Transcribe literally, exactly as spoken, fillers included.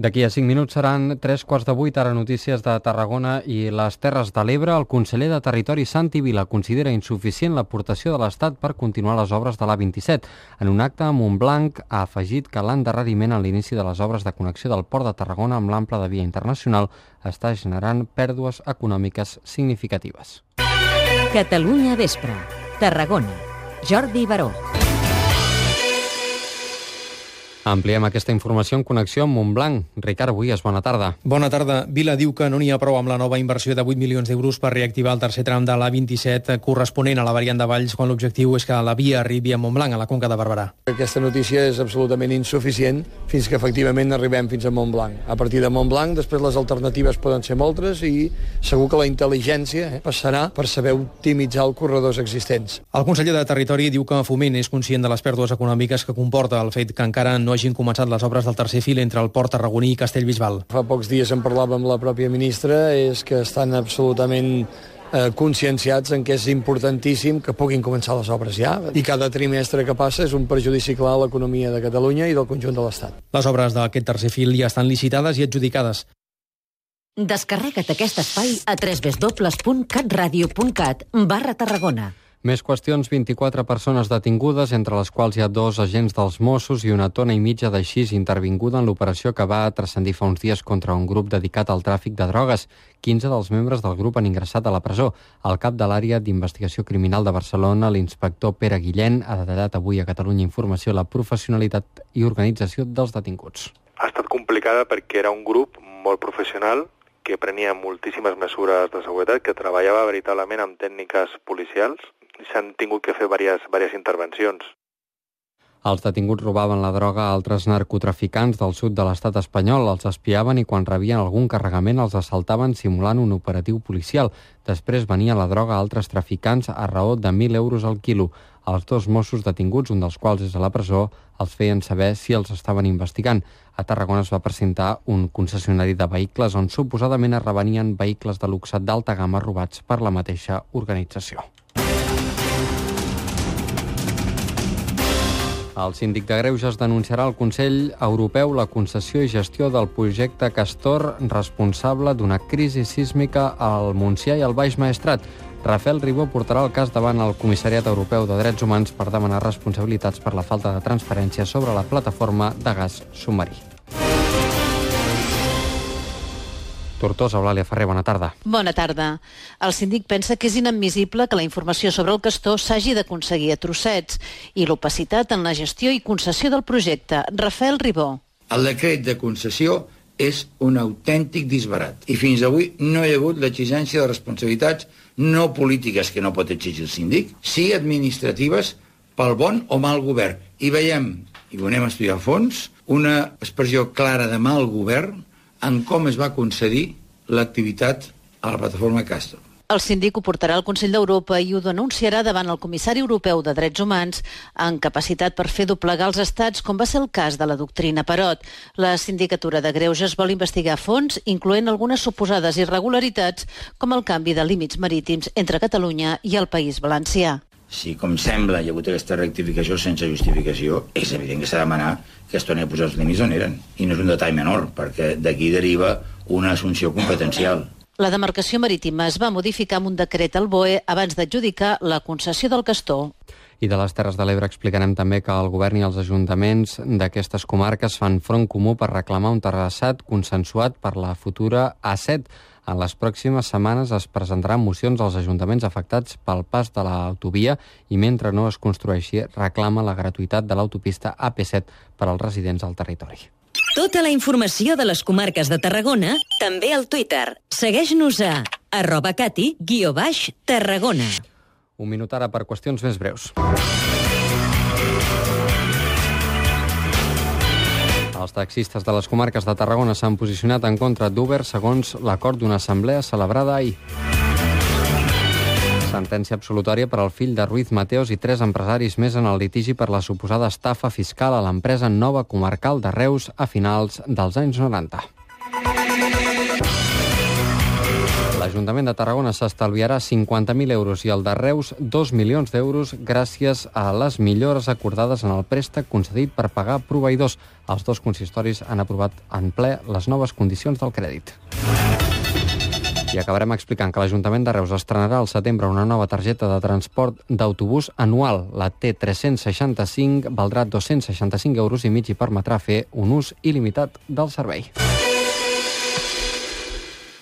D'aquí a cinc minuts seran tres quarts de vuit, ara notícies de Tarragona i les Terres de l'Ebre. El conseller de Territori, Santi Vila, considera insuficient l'aportació de l'Estat per continuar les obres de l'A vint-i-set. En un acte a Montblanc ha afegit que l'endarreriment en l'inici de les obres de connexió del Port de Tarragona amb l'ample de via internacional està generant pèrdues econòmiques significatives. Catalunya Vespre, Tarragona. Jordi Baró. Ampliem aquesta informació en connexió amb Montblanc. Ricard Buies, bona tarda. Bona tarda. Vila diu que no n'hi ha prou amb la nova inversió de vuit milions d'euros per reactivar el tercer tram de l'A vint-i-set corresponent a la variant de Valls, quan l'objectiu és que la via arribi a Montblanc, a la Conca de Barberà. Aquesta notícia és absolutament insuficient fins que efectivament arribem fins a Montblanc. A partir de Montblanc, després les alternatives poden ser moltes i segur que la intel·ligència eh, passarà per saber optimitzar els corredors existents. El conseller de Territori diu que Foment és conscient de les pèrdues econòmiques que comporta el fet que encara no hagin començat les obres del tercer fil entre el Port tarragoní i Castellbisbal. Fa pocs dies en parlava amb la pròpia ministra, és que estan absolutament eh, conscienciats en que és importantíssim que puguin començar les obres ja, i cada trimestre que passa és un perjudici clar a l'economia de Catalunya i del conjunt de l'Estat. Les obres d'aquest tercer fil ja estan licitades i adjudicades. Descarrega't aquest espai a w w w punt catradio punt cat barra Tarragona. Més qüestions, vint-i-quatre persones detingudes, entre les quals hi ha dos agents dels Mossos i una tona i mitja de xis intervinguda en l'operació que va transcendir fa uns dies contra un grup dedicat al tràfic de drogues. quinze dels membres del grup han ingressat a la presó. El cap de l'àrea d'investigació criminal de Barcelona, l'inspector Pere Guillén, ha detallat avui a Catalunya Informació la professionalitat i organització dels detinguts. Ha estat complicada perquè era un grup molt professional que prenia moltíssimes mesures de seguretat, que treballava veritablement amb tècniques policials. S'han tingut que fer diverses, diverses intervencions. Els detinguts robaven la droga a altres narcotraficants del sud de l'estat espanyol, els espiaven i quan rebien algun carregament els assaltaven simulant un operatiu policial. Després venia la droga a altres traficants a raó de mil euros al quilo. Els dos Mossos detinguts, un dels quals és a la presó, els feien saber si els estaven investigant. A Tarragona es va presentar un concessionari de vehicles on suposadament es revenien vehicles de luxe d'alta gamma robats per la mateixa organització. El síndic de Greuges denunciarà al Consell Europeu la concessió i gestió del projecte Castor, responsable d'una crisi sísmica al Montsià i al Baix Maestrat. Rafael Ribó portarà el cas davant el Comissariat Europeu de Drets Humans per demanar responsabilitats per la falta de transparència sobre la plataforma de gas submarí. Tortosa, Eulàlia Ferrer, bona tarda. Bona tarda. El síndic pensa que és inadmissible que la informació sobre el castor s'hagi d'aconseguir a trossets i l'opacitat en la gestió i concessió del projecte. Rafael Ribó. El decret de concessió és un autèntic disbarat i fins avui no hi ha hagut l'exigència de responsabilitats no polítiques que no pot exigir el síndic, sí administratives pel bon o mal govern. I veiem, i ho anem a estudiar a fons, una expressió clara de mal govern en com es va concedir l'activitat a la plataforma Castor. El síndic ho portarà al Consell d'Europa i ho denunciarà davant el comissari europeu de Drets Humans en capacitat per fer doblegar els estats, com va ser el cas de la doctrina Parot. La sindicatura de Greuges vol investigar a fons, incloent algunes suposades irregularitats, com el canvi de límits marítims entre Catalunya i el País Valencià. Si, com sembla, hi ha hagut aquesta rectificació sense justificació, és evident que s'ha de demanar que es torni a posar els límits on eren. I no és un detall menor, perquè d'aquí deriva una assumpció competencial. La demarcació marítima es va modificar amb un decret al B O E abans d'adjudicar la concessió del Castor. I de les Terres de l'Ebre explicarem també que el govern i els ajuntaments d'aquestes comarques fan front comú per reclamar un terrassat consensuat per la futura A set. En les pròximes setmanes es presentaran mocions als ajuntaments afectats pel pas de l'autovia i mentre no es construeixi reclama la gratuïtat de l'autopista A P set per als residents del territori. Tota la informació de les comarques de Tarragona també al Twitter. Segueix-nos a arroba cati guió baix Tarragona. Un minut ara per qüestions més breus. Els taxistes de les comarques de Tarragona s'han posicionat en contra d'Uber segons l'acord d'una assemblea celebrada ahir. Sentència absolutòria per al fill de Ruiz Mateos i tres empresaris més en el litigi per la suposada estafa fiscal a l'empresa Nova Comarcal de Reus a finals dels anys noranta. La L'Ajuntament de Tarragona s'estalviarà cinquanta mil euros i el de Reus dos milions d'euros gràcies a les millores acordades en el préstec concedit per pagar proveïdors. Els dos consistoris han aprovat en ple les noves condicions del crèdit. I acabarem explicant que l'Ajuntament de Reus estrenarà al setembre una nova targeta de transport d'autobús anual. La T tres-cents seixanta-cinc valdrà dos-cents seixanta-cinc euros i mig i permetrà fer un ús il·limitat del servei.